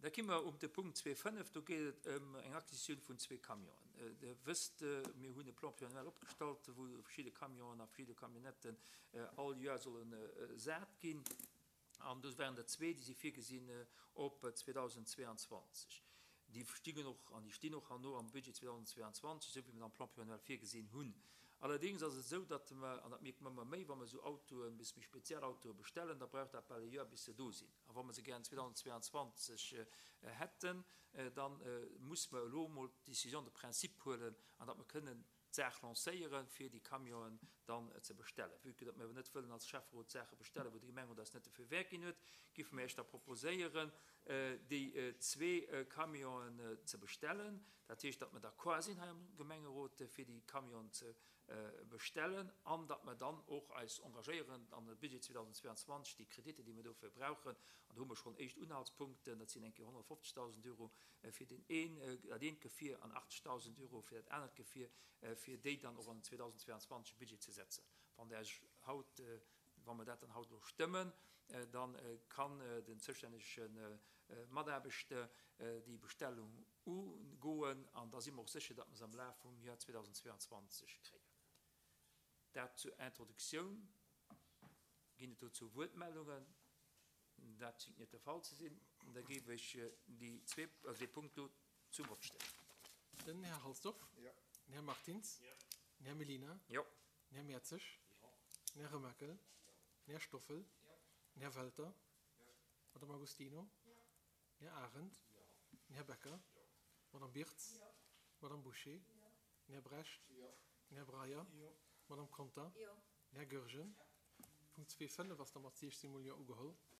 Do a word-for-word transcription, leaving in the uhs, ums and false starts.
Da ki mer op de Punkt zwee fënnef, do geet et ëm eng Acquisitioun vun zwee Camionen. Der wësst, mir hunn e Plan pluriannuel opgestallt, wou verschidde Camionen a verschidde Camionnetten all Joer solle sat ginn. An do waren der zwee, déi si virgesinn op zweedausendzweeanzwanzeg. Déi stingen och an déi stinn och herno am Budget zweedausendzweeanzwanzeg, esou wéi mer et am Plan pluriannuel virgesinn hunn. Allerdéngs ass et esou, datt mer, an dat mierke mer ëmmer méi, wa mer esou Autoen, bis méi speziell Autoe bestellen, da brauch dat bal e Joer, bis se do sinn. A wa mer se gären zweedausendzweeanzwanzeg hätten, da muss mer elo emol d'Décision de principe huelen an datt mer kënnen d'Saach lancéieren, fir déi Camionen dann ze bestellen. Vue que datt mir awer net wëllen als Schäfferot Saache bestellen, wou de Gemengerot eis net de Feu vert ginn huet, géife mir Iech da proposéieren, déi zwee Camionen ze bestellen. Dat heescht, datt mer d'accord sinn hei am Gemengerot, fir déi Camionen ze bestellen an datt mer dann och eis engagéieren, an de Budget zweedausendzweeanzwanzeg déi Kreditter, déi mer dofir brauchen, an do hu mer schonn éischt Unhaltspunkten, dat sinn eng Kéier honnertfofzegdausend Euro fir deen een, dat eent Gefier an achtzegdausend Euro fir dat anert Gefier, fir déi dann och an den zweedausendzweeanzwanzeg Budget ze setzen. Wann Der Iech haut, wa mer dat dann haut elo stëmmen, da kann den zoustännege Mataarbechter déi Bestellung ugoen an da si mer och sécher, datt mer se am Laf vum Joer zweedausendzweeanzwanzeg kréien. Dat zur Introduktioun. Ginn et dozou Wuertmeldungen? Dat schéngt net de Fall ze sinn. Da géif ech déi zwee, also dee Punkt do zum Vott stellen. Den Här Halsdorf. Jo. Den Här Martins. Jo. Den Här Mellina. Jo. Den Här Mertzig. Jo. Den Här Remakel. Jo. Den Här Stoffel. Jo. Den Här Welter. Jo. Madame Agostino. Jo. Den Här Arendt. Jo. Den Här Becker. Jo. Madame Birtz. Jo. Madame Bouché. Jo. Den Här Brecht. Jo. Den Här Breyer. Jo. Madame Conter. Jo. Den Här Goergen. Jo. Punkt zwee fënnef ass da mat siechzehn mol Jo ugeholl.